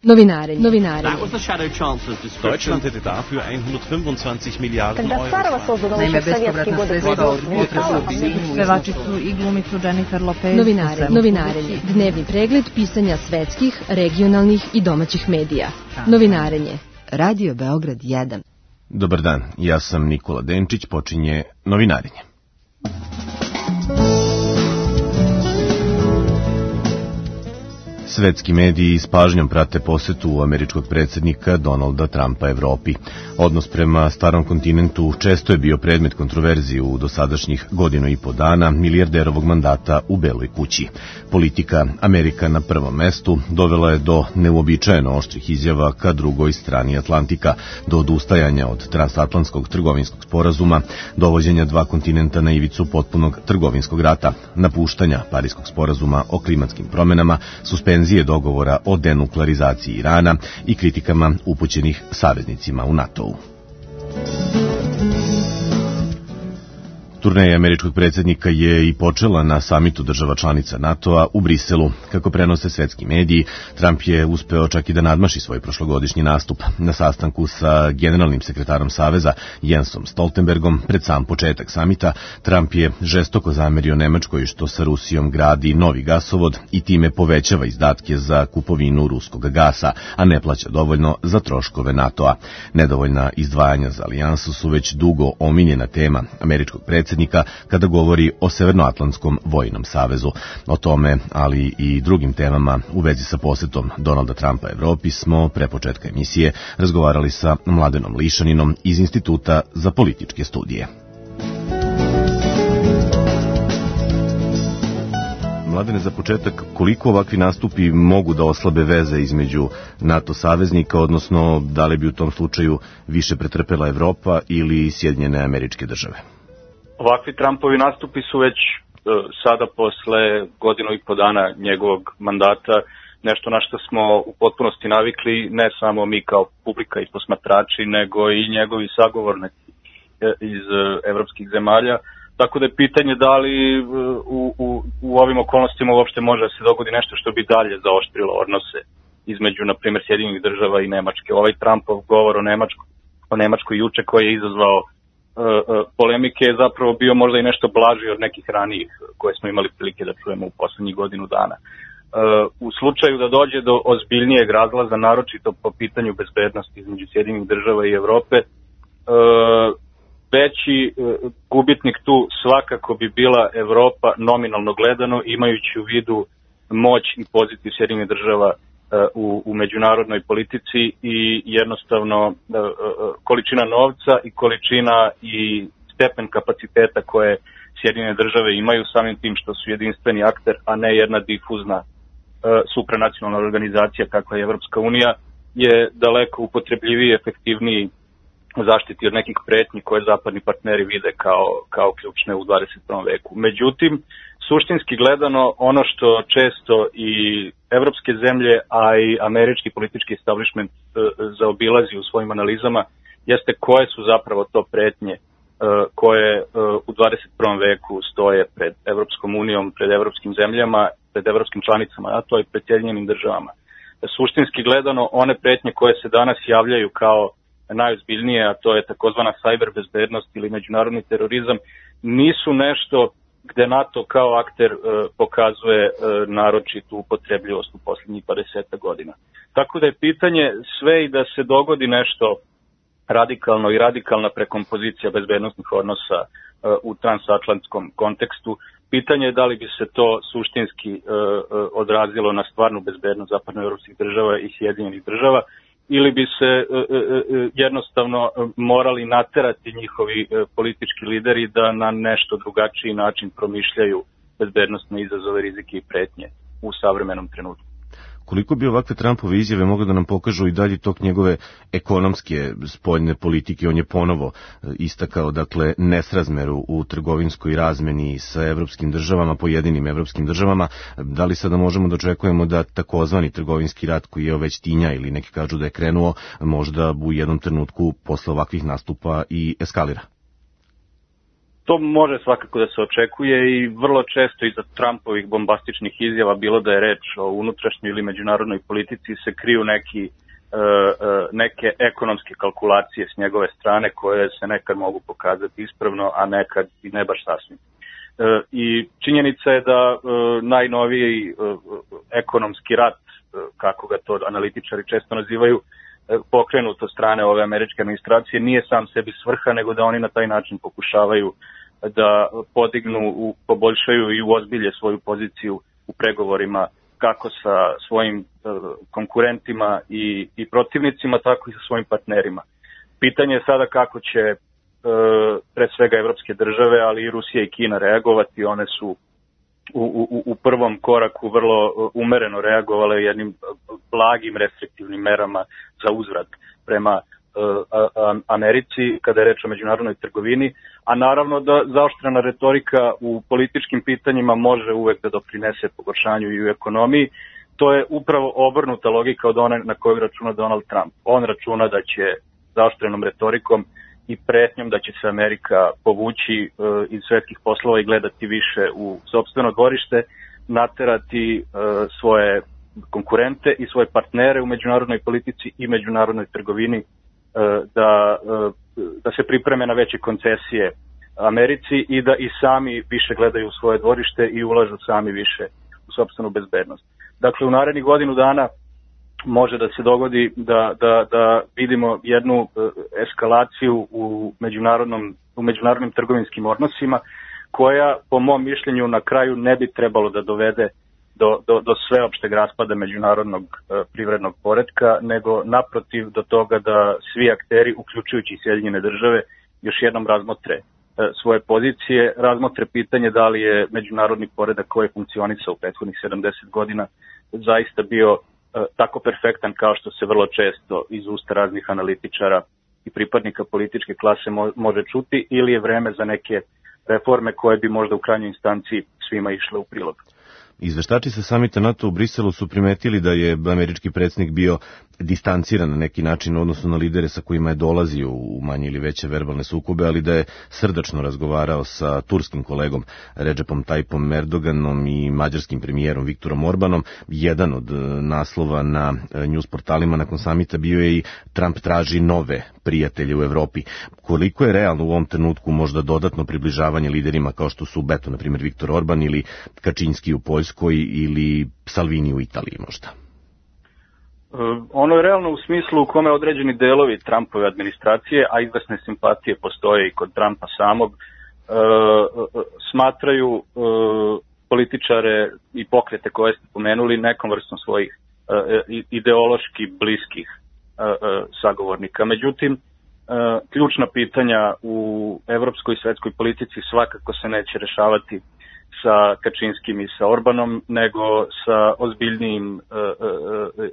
Novinarenje. Deutschland hätte dafür 125 Miliarden Euro. Naime, bespovratna sredstva od pevačicu i glumicu Jennifer Lopez. Novinarenje. Dnevni pregled pisanja svetskih, regionalnih i domaćih medija. Novinarenje. Radio Beograd 1. Dobar dan, ja sam Nikola Denčić, počinje Novinarenje. Svetski mediji s pažnjom prate posetu američkog predsjednika Donalda Trumpa Evropi. Odnos prema starom kontinentu često je bio predmet kontroverzije u dosadašnjih godinu i po dana milijarderovog mandata u Beloj kući. Politika Amerika na prvom mestu dovela je do neuobičajeno oštrih izjava ka drugoj strani Atlantika, do odustajanja od transatlantskog trgovinskog sporazuma, dovođenja dva kontinenta na ivicu potpunog trgovinskog rata, napuštanja Pariskog sporazuma o klimatskim promenama, suspenzije dogovora o denuklearizaciji Irana i kritikama upućenih saveznicima u NATO-u. Turneja američkog predsjednika je i počela na samitu država članica NATO-a u Briselu. Kako prenose svetski mediji, Trump je uspeo čak i da nadmaši svoj prošlogodišnji nastup. Na sastanku sa generalnim sekretarom Saveza Jensom Stoltenbergom pred sam početak samita, Trump je žestoko zamerio Nemačkoj što sa Rusijom gradi novi gasovod i time povećava izdatke za kupovinu ruskog gasa, a ne plaća dovoljno za troškove NATO-a. Nedovoljna izdvajanja za alijansu su već dugo omiljena tema američkog predsjednika kada govori o Severnoatlantskom vojnom savezu. O tome, ali i drugim temama u vezi sa posetom Donalda Trumpa Evropi smo pre početka emisije razgovarali sa Mladenom Lišaninom iz Instituta za političke studije. Mladene, za početak, koliko ovakvi nastupi mogu da oslabe veze između NATO saveznika, odnosno da li bi u tom slučaju više pretrpela Evropa ili Sjedinjene Američke Države? Ovakvi Trumpovi nastupi su već sada posle godinu i po dana njegovog mandata nešto na što smo u potpunosti navikli, ne samo mi kao publika i posmatrači, nego i njegovi sagovornici iz evropskih zemalja. Tako da je pitanje da li u ovim okolnostima uopšte može da se dogodi nešto što bi dalje zaoštrilo odnose između, na primjer, Sjedinjenih Država i Nemačke. Ovaj Trumpov govor o Nemačkoj juče koji je izazvao polemike je zapravo bio možda i nešto blaži od nekih ranijih koje smo imali prilike da čujemo u poslednjih godinu dana. U slučaju da dođe do ozbiljnijeg razlaza, naročito po pitanju bezbednosti između Sjedinjenih Država i Evrope, veći gubitnik tu svakako bi bila Evropa nominalno gledano, imajući u vidu moć i poziciju Sjedinjenih Država u međunarodnoj politici i jednostavno količina novca i količina i stepen kapaciteta koje Sjedinjene Države imaju samim tim što su jedinstveni akter, a ne jedna difuzna supranacionalna organizacija kakva je Evropska unija, je daleko upotrebljiviji i efektivniji zaštiti od nekih pretnji koje zapadni partneri vide kao ključne u 21. veku. Međutim, suštinski gledano, ono što često i evropske zemlje, a i američki politički establishment zaobilazi u svojim analizama, jeste koje su zapravo to pretnje koje u 21. veku stoje pred Evropskom unijom, pred evropskim zemljama, pred evropskim članicama, a to i pred Sjedinjenim Državama. Suštinski gledano, one pretnje koje se danas javljaju kao najozbiljnije, a to je takozvana cyber bezbednost ili međunarodni terorizam, nisu nešto gde NATO kao akter pokazuje naročitu upotrebljivost u posljednjih 20 godina. Tako da je pitanje sve i da se dogodi nešto radikalno i radikalna prekompozicija bezbednostnih odnosa u transatlantskom kontekstu, pitanje je da li bi se to suštinski odrazilo na stvarnu bezbednost zapadnoevropskih država i Sjedinjenih Država, ili bi se jednostavno morali naterati njihovi politički lideri da na nešto drugačiji način promišljaju bezbednostne izazove, rizike i pretnje u savremenom trenutku. Koliko bi ovakve Trumpove izjave mogle da nam pokažu i dalje tok njegove ekonomske spoljne politike? On je ponovo istakao, dakle, nesrazmeru u trgovinskoj razmeni sa evropskim državama, pojedinim evropskim državama. Da li sada možemo da očekujemo da takozvani trgovinski rat koji je već tinja ili neki kažu da je krenuo, možda u jednom trenutku posle ovakvih nastupa i eskalira? To može svakako da se očekuje i vrlo često iza Trumpovih bombastičnih izjava, bilo da je reč o unutrašnjoj ili međunarodnoj politici, se kriju neke ekonomske kalkulacije s njegove strane koje se nekad mogu pokazati ispravno, a nekad i ne baš sasvim. I činjenica je da najnoviji ekonomski rat, kako ga to analitičari često nazivaju, pokrenut od strane ove američke administracije, nije sam sebi svrha, nego da oni na taj način pokušavaju da podignu, poboljšaju i uozbilje svoju poziciju u pregovorima kako sa svojim konkurentima i protivnicima, tako i sa svojim partnerima. Pitanje je sada kako će pre svega evropske države, ali i Rusija i Kina reagovati. One su u prvom koraku vrlo umereno reagovale jednim blagim restriktivnim merama za uzvrat prema Americi kada je reč o međunarodnoj trgovini, a naravno da zaoštrena retorika u političkim pitanjima može uvek da doprinese pogoršanju i u ekonomiji. To je upravo obrnuta logika od one na koju računa Donald Trump. On računa da će zaoštrenom retorikom i pretnjom da će se Amerika povući iz svetskih poslova i gledati više u sopstveno dvorište, naterati svoje konkurente i svoje partnere u međunarodnoj politici i međunarodnoj trgovini da se pripreme na veće koncesije Americi i da i sami više gledaju u svoje dvorište i ulažu sami više u sopstvenu bezbednost. Dakle, u narednih godinu dana može da se dogodi da vidimo jednu eskalaciju u međunarodnim trgovinskim odnosima koja, po mom mišljenju, na kraju ne bi trebalo da dovede do sveopšteg raspada međunarodnog privrednog poretka, nego naprotiv do toga da svi akteri, uključujući Sjedinjene države, još jednom razmotre svoje pozicije, razmotre pitanje da li je međunarodni poredak koji je funkcionisao u prethodnih 70 godina zaista bio tako perfektan kao što se vrlo često iz usta raznih analitičara i pripadnika političke klase može čuti, ili je vreme za neke reforme koje bi možda u krajnjoj instanciji svima išle u prilog. Izveštači sa samita NATO u Briselu su primetili da je američki predsjednik bio distanciran na neki način u odnosu na lidere sa kojima je dolazio u manje ili veće verbalne sukobe, ali da je srdačno razgovarao sa turskim kolegom Recepom Tayyipom Erdoganom i mađarskim premijerom Viktorom Orbanom. Jedan od naslova na news portalima nakon samita bio je i Trump traži nove prijatelje u Evropi. Koliko je realno u ovom trenutku možda dodatno približavanje liderima kao što su Beto, na primjer Viktor Orban, ili Kačinski u Poljskoj ili Salvini u Italiji možda? Ono je realno u smislu u kome određeni delovi Trumpove administracije, a izvesne simpatije postoje i kod Trumpa samog, smatraju političare i pokrete koje ste pomenuli nekom vrstom svojih ideološki bliskih sagovornika. Međutim, ključna pitanja u evropskoj i svetskoj politici svakako se neće rešavati sa Kačinskim i sa Orbanom, nego sa ozbiljnijim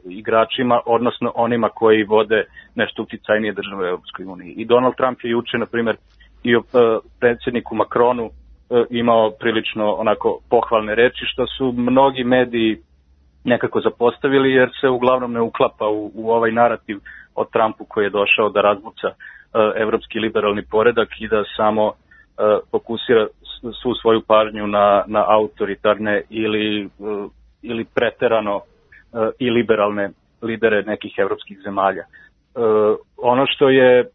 igračima, odnosno onima koji vode nešto uticajnije države u Europskoj uniji. I Donald Trump je juče, na primjer, i o predsjedniku Macronu imao prilično onako pohvalne reči, što su mnogi mediji nekako zapostavili, jer se uglavnom ne uklapa u ovaj narativ o Trumpu koji je došao da razbuca evropski liberalni poredak i da samo fokusira svu svoju pažnju na autoritarne ili preterano i liberalne lidere nekih evropskih zemalja. Ono što je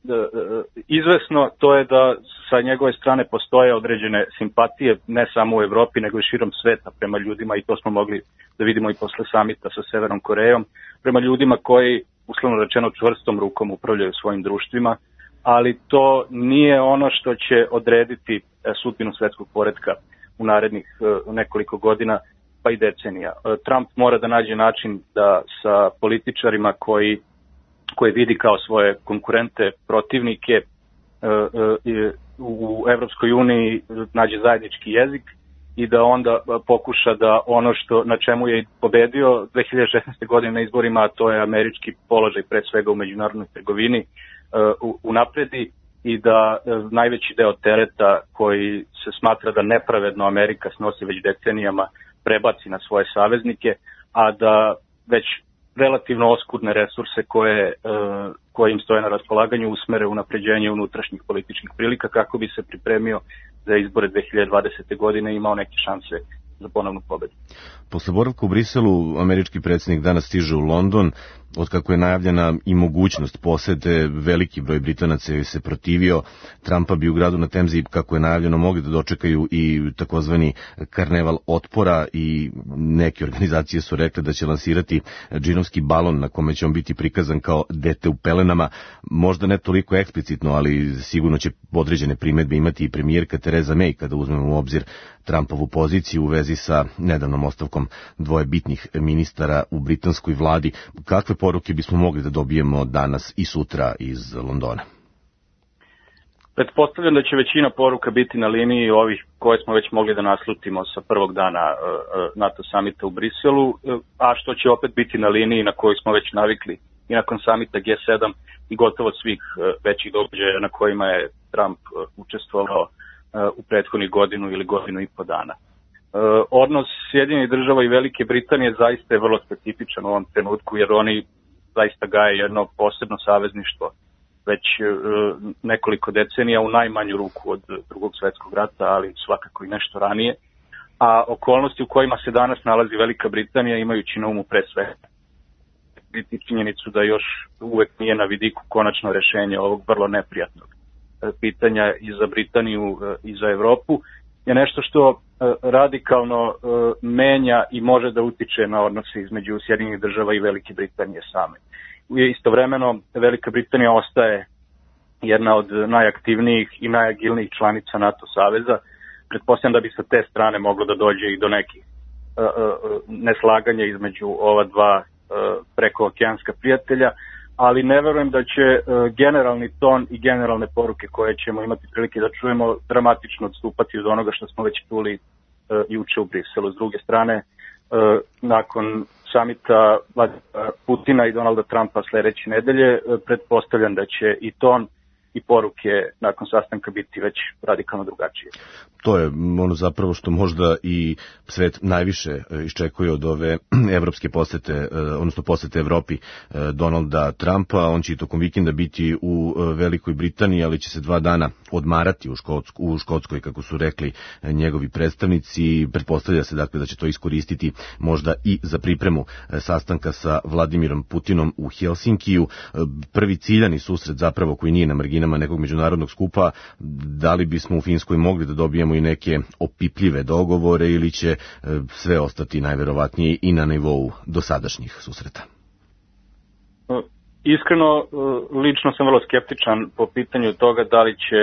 izvesno, to je da sa njegove strane postoje određene simpatije, ne samo u Evropi, nego i širom sveta prema ljudima, i to smo mogli da vidimo i posle samita sa Severnom Korejom, prema ljudima koji, uslovno rečeno, čvrstom rukom upravljaju svojim društvima, ali to nije ono što će odrediti sudbinu svetskog poretka u narednih nekoliko godina, pa i decenija. Trump mora da nađe način da sa političarima koji vidi kao svoje konkurente, protivnike u Evropskoj uniji nađe zajednički jezik i da onda pokuša da ono na čemu je pobedio 2016. godine na izborima, a to je američki položaj pre svega u međunarodnoj trgovini, unapredi i da najveći deo tereta koji se smatra da nepravedno Amerika snosi već decenijama prebaci na svoje saveznike, a da već relativno oskudne resurse koje im stoje na raspolaganju usmere unapređenje unutrašnjih političkih prilika kako bi se pripremio za izbore 2020. godine i imao neke šanse za ponovnu pobedu. Posle boravka u Briselu, američki predsjednik danas stiže u London. Otkako je najavljena i mogućnost posete, veliki broj Britanaca je se protivio. Trumpa bi u gradu na Temzi, kako je najavljeno, mogli da dočekaju i takozvani karneval otpora i neke organizacije su rekle da će lansirati džinovski balon na kome će on biti prikazan kao dete u pelenama. Možda ne toliko eksplicitno, ali sigurno će određene primedbe imati i premijerka Theresa May kada uzmemo u obzir Trumpovu poziciju u vezi sa nedavnom ostavkom dvoje bitnih ministara u britanskoj vladi. Kakve poruke bismo mogli da dobijemo danas i sutra iz Londona? Pretpostavljam da će većina poruka biti na liniji ovih koje smo već mogli da naslutimo sa prvog dana NATO samita u Briselu, a što će opet biti na liniji na koju smo već navikli i nakon samita G7 i gotovo svih većih događaja na kojima je Trump učestvovao u prethodnih godinu ili godinu i po dana. Odnos Sjedinjenih država i Velike Britanije zaista je vrlo specifičan u ovom trenutku, jer oni zaista gaje jedno posebno savezništvo već nekoliko decenija, u najmanju ruku od Drugog svjetskog rata, ali svakako i nešto ranije. A okolnosti u kojima se danas nalazi Velika Britanija, imajući na umu pre svega biti činjenicu da još uvek nije na vidiku konačno rešenje ovog vrlo neprijatnog pitanja i za Britaniju i za Evropu, je nešto što radikalno menja i može da utiče na odnose između Sjedinjenih država i Velike Britanije same. Istovremeno, Velika Britanija ostaje jedna od najaktivnijih i najagilnijih članica NATO saveza. Pretpostavljam da bi sa te strane moglo da dođe i do nekih neslaganja između ova dva prekookeanska prijatelja, ali ne verujem da će generalni ton i generalne poruke koje ćemo imati prilike da čujemo dramatično odstupati od onoga što smo već čuli juče u Briselu. S druge strane, nakon samita Putina i Donalda Trumpa sledeće nedelje, pretpostavljam da će i ton i poruke nakon sastanka biti već radikalno drugačije. To je ono zapravo što možda i svet najviše iščekuje od ove evropske posete, odnosno posete Evropi Donalda Trumpa. On će i tokom vikenda biti u Velikoj Britaniji, ali će se 2 dana odmarati u Škotskoj, kako su rekli njegovi predstavnici. Pretpostavlja se dakle da će to iskoristiti možda i za pripremu sastanka sa Vladimirom Putinom u Helsinkiju. Prvi ciljani susret zapravo koji nije na marginama nekog međunarodnog skupa. Da li bismo u Finskoj mogli da dobijemo i neke opipljive dogovore ili će sve ostati najverovatnije i na nivou dosadašnjih susreta? Iskreno, lično sam vrlo skeptičan po pitanju toga da li će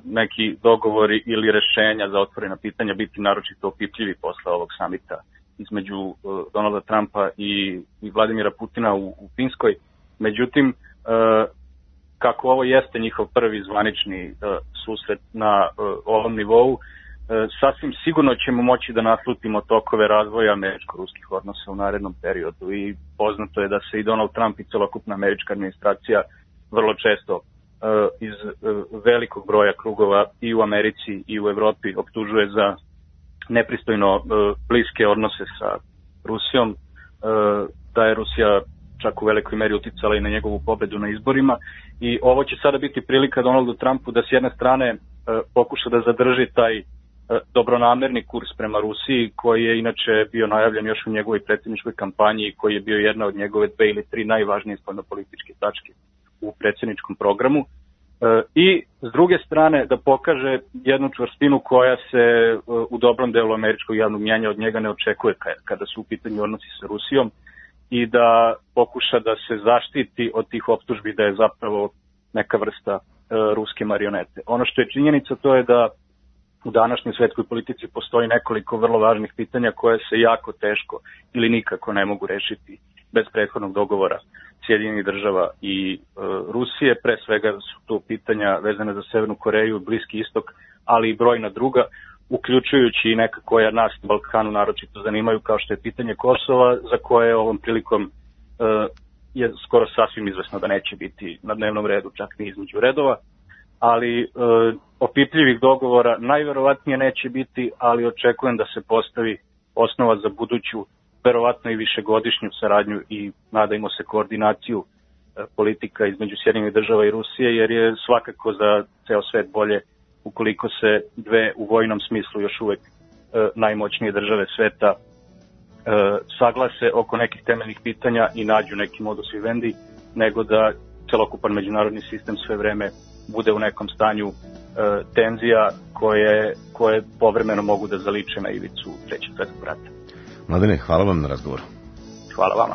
neki dogovori ili rešenja za otvorena pitanja biti naročito opipljivi posle ovog samita između Donalda Trumpa i Vladimira Putina u Finskoj. Međutim, kako ovo jeste njihov prvi zvanični susret na ovom nivou, sasvim sigurno ćemo moći da naslutimo tokove razvoja američko-ruskih odnosa u narednom periodu i poznato je da se i Donald Trump i celokupna američka administracija vrlo često iz velikog broja krugova i u Americi i u Evropi optužuje za nepristojno bliske odnose sa Rusijom, da je Rusija čak u velikoj meri uticala i na njegovu pobedu na izborima, i ovo će sada biti prilika Donaldu Trumpu da s jedne strane pokuša da zadrži taj dobronamerni kurs prema Rusiji, koji je inače bio najavljen još u njegovoj predsjedničkoj kampanji i koji je bio jedna od njegove 2 ili 3 najvažnije spoljnopolitičke tačke u predsjedničkom programu, i s druge strane da pokaže jednu čvrstinu koja se u dobrom delu američkog javnog mnjenja od njega ne očekuje kada su u pitanju odnosi sa Rusijom, i da pokuša da se zaštiti od tih optužbi da je zapravo neka vrsta ruske marionete. Ono što je činjenica, to je da u današnjoj svetskoj politici postoji nekoliko vrlo važnih pitanja koje se jako teško ili nikako ne mogu rešiti bez prethodnog dogovora Sjedinjenih država i Rusije. Pre svega su to pitanja vezane za Severnu Koreju, Bliski istok, ali i brojna druga, uključujući i neka koja nas na Balkanu naročito zanimaju, kao što je pitanje Kosova, za koje ovom prilikom je skoro sasvim izvesno da neće biti na dnevnom redu, čak ni između redova, ali opipljivih dogovora najverovatnije neće biti, ali očekujem da se postavi osnova za buduću verovatno i višegodišnju saradnju i nadajmo se koordinaciju politika između Sjedinjenih Država i Rusije, jer je svakako za ceo svet bolje ukoliko se dve u vojnom smislu još uvek najmoćnije države sveta saglase oko nekih temeljnih pitanja i nađu neki modus vivendi, nego da celokupan međunarodni sistem sve vreme bude u nekom stanju tenzija koje povremeno mogu da zaliče na ivicu Trećeg svetskog rata. Mladene, hvala vam na razgovoru. Hvala vama.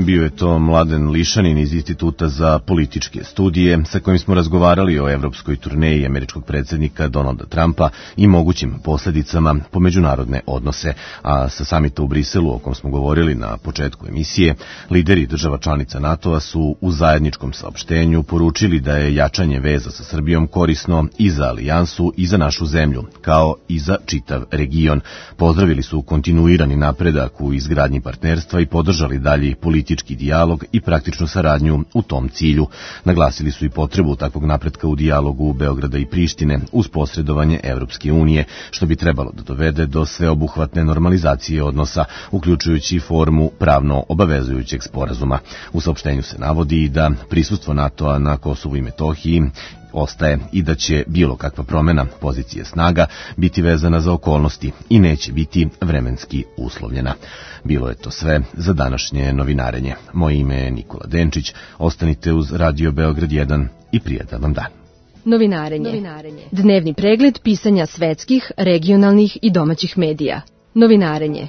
Bio je to Mladen Lišanin iz Instituta za političke studije, sa kojim smo razgovarali o evropskoj turneji američkog predsjednika Donalda Trumpa i mogućim posljedicama po međunarodne odnose. A sa samita u Briselu, o kom smo govorili na početku emisije, lideri država članica NATO-a su u zajedničkom saopštenju poručili da je jačanje veza sa Srbijom korisno i za alijansu i za našu zemlju, kao i za čitav region. Pozdravili su kontinuirani napredak u izgradnji partnerstva i podržali dalji politički dijalog i praktičnu saradnju u tom cilju. Naglasili su i potrebu takvog napretka u dijalogu Beograda i Prištine uz posredovanje Evropske unije, što bi trebalo da dovede do sveobuhvatne normalizacije odnosa, uključujući formu pravno obavezujućeg sporazuma. U saopštenju se navodi da prisustvo NATO-a na Kosovu i Metohiji ostaje i da će bilo kakva promjena pozicije snaga biti vezana za okolnosti i neće biti vremenski uslovljena. Bilo je to sve za današnje novinarenje. Moje ime je Nikola Denčić. Ostanite uz Radio Beograd 1 i prijatan vam dan. Novinarenje. Dnevni pregled pisanja svetskih, regionalnih i domaćih medija. Novinarenje.